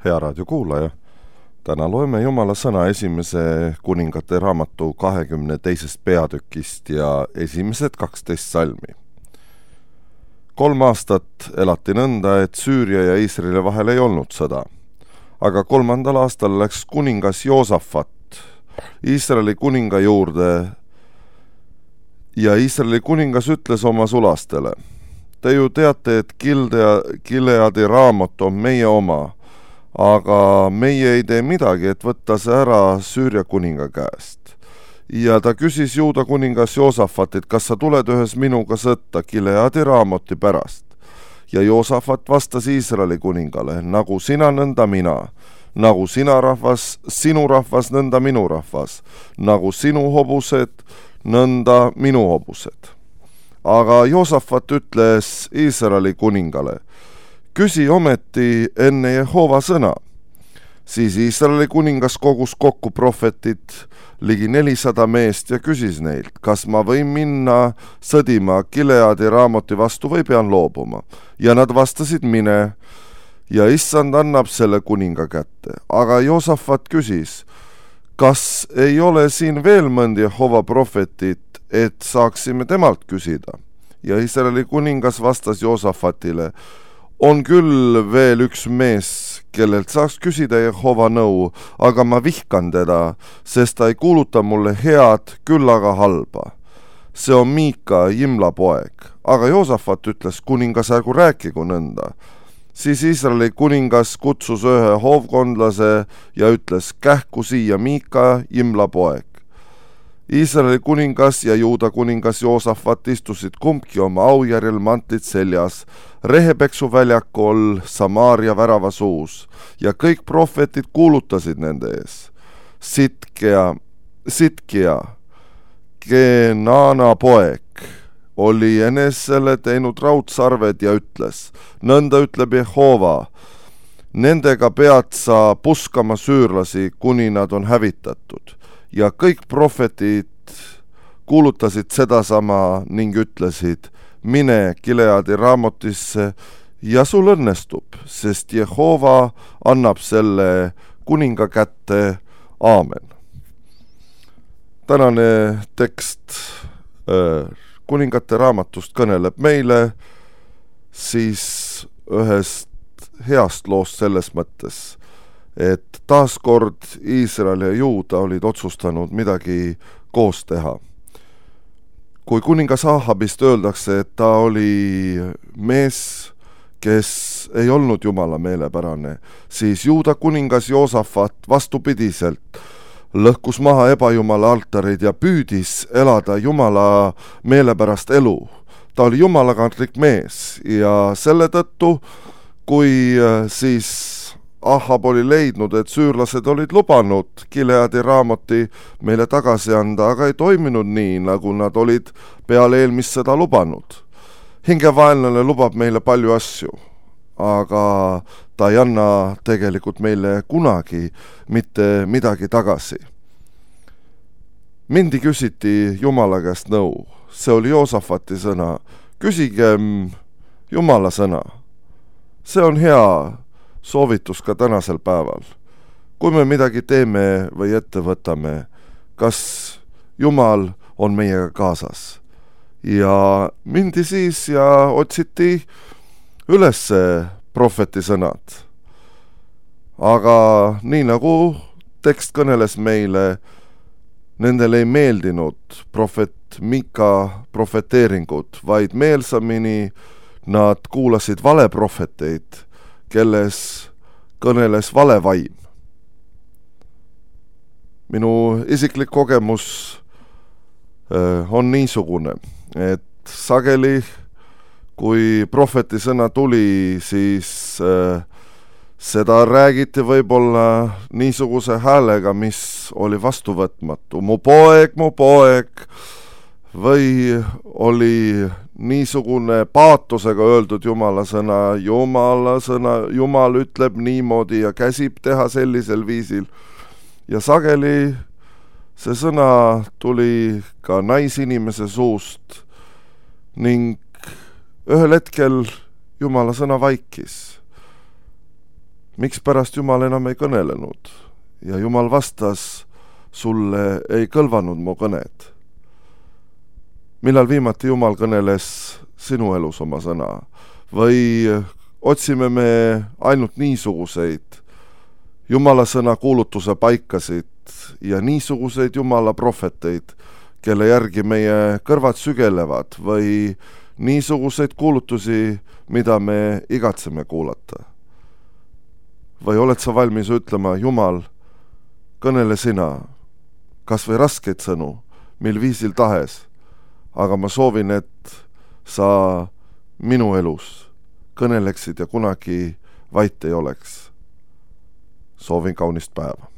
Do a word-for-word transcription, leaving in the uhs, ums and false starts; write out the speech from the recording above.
Hea raadiokuulaja, täna loeme Jumala sõna esimese kuningate raamatu kahekümne teisest peatükist ja esimesed kaksteist salmi. Kolm aastat elati nõnda, et Süüria ja Iisraeli vahel ei olnud sõda. Aga kolmandal aastal läks kuningas Joosafat Iisraeli kuninga juurde ja Iisraeli kuningas ütles oma sulastele: Te ju teate, et Gileadi raamot on meie oma, aga meie ei tee midagi, et võtta see ära Süüria kuninga käest. Ja ta küsis Juuda kuningas Joosafatit, kas sa tuled ühes minuga sõtta Gileadi raamoti pärast. Ja Joosafat vastas Iisraeli kuningale: nagu sina, nõnda mina, nagu sina rahvas, sinu rahvas, nõnda minu rahvas, nagu sinu hobused, nõnda minu hobused. Aga Joosafat ütles Iisraeli kuningale: küsi ometi enne Jehova sõna. Siis Iisraeli kuningas kogus kokku prohvetid ligi nelisada meest ja küsis neilt, kas ma võin minna sõdima Gileadi raamoti vastu või pean loobuma. Ja nad vastasid: mine, ja issand annab selle kuninga kätte. Aga Joosafat küsis: kas ei ole siin veel mõnd Jehova prohvetit, et saaksime temalt küsida? Ja Iisraeli kuningas vastas Joosafatile: on küll veel üks mees, kellelt saaks küsida Jehova nõu, aga ma vihkan teda, sest ta ei kuuluta mulle head, küll aga halba. See on Miika, Jimla poeg. Aga Joosafat ütles: kuningas, ärgu rääkigu nõnda. Siis Iisraeli kuningas kutsus ühe hoovkondlase ja ütles: kähku siia Miika, Jimla poeg. Iisraeli kuningas ja Juuda kuningas Joosafat istusid kumbki oma aujärjel mantlid seljas, Rehepeksu väljakul Samaaria värava suus, ja kõik prohvetid kuulutasid nende ees. Sitkea, Sitkia, Kenaana poeg, oli enesele teinud raudsarved ja ütles: nõnda ütleb Jehova, nendega pead sa puskama süürlasi, kuni nad on hävitatud. Ja kõik prohvetid kuulutasid sedasama ning ütlesid: mine Gileadi raamotisse ja sul õnnestub, sest Jehova annab selle kuninga kätte. Aamen. Tänane tekst äh, kuningate raamatust kõneleb meile siis ühest heast loost selles mõttes, et taaskord Iisrael ja Juuda olid otsustanud midagi koos teha. Kui kuningas Ahabist öeldakse, et ta oli mees, kes ei olnud Jumala meelepärane, siis Juuda kuningas Joosafat vastupidiselt lõhkus maha ebajumala altarid ja püüdis elada Jumala meelepärast elu. Ta oli jumalakantlik mees ja selle tõttu, kui siis Ahab oli leidnud, et süürlased olid lubanud Gileadi raamoti meile tagasi anda, aga ei toiminud nii, nagu nad olid peale eelmist sõda lubanud. Hingevaenlane lubab meile palju asju, aga ta ei anna tegelikult meile kunagi mitte midagi tagasi. Mindi küsiti Jumala käest nõu. See oli Joosafati sõna. Küsigem Jumala sõna. See on hea soovitus ka tänasel päeval. Kui me midagi teeme või ette võtame, kas Jumal on meiega kaasas? Ja mindi siis ja otsiti üles prohveti sõnad. Aga nii nagu tekst kõneles meile, nendel ei meeldinud prohvet Miika prohveteeringud, vaid meelsamini nad kuulasid valeprohveteid, kelles kõneles valevaim. Minu isiklik kogemus äh, on niisugune, et sageli, kui prohveti sõna tuli, siis äh, seda räägiti võib-olla niisuguse häälega, mis oli vastuvõtmatu. Mu poeg, mu poeg, või oli niisugune paatusega öeldud Jumala sõna, Jumala sõna, Jumal ütleb niimoodi ja käsib teha sellisel viisil. Ja sageli see sõna tuli ka naisinimese suust ning ühel hetkel Jumala sõna vaikis. miks pärast Jumal enam ei kõnelenud? Ja Jumal vastas, sulle ei kõlvanud mu kõned. Millal viimati Jumal kõneles sinu elus oma sõna? Või otsime me ainult niisuguseid Jumala sõna kuulutuse paikasid ja niisuguseid Jumala prohveteid, kelle järgi meie kõrvad sügelevad, või niisuguseid kuulutusi, mida me igatseme kuulata? Või oled sa valmis ütlema, Jumal, kõnele sina, kas või raskeid sõnu, mil viisil tahes, aga ma soovin, et sa minu elus kõneleksid ja kunagi vait ei oleks. Soovin kaunist päeva.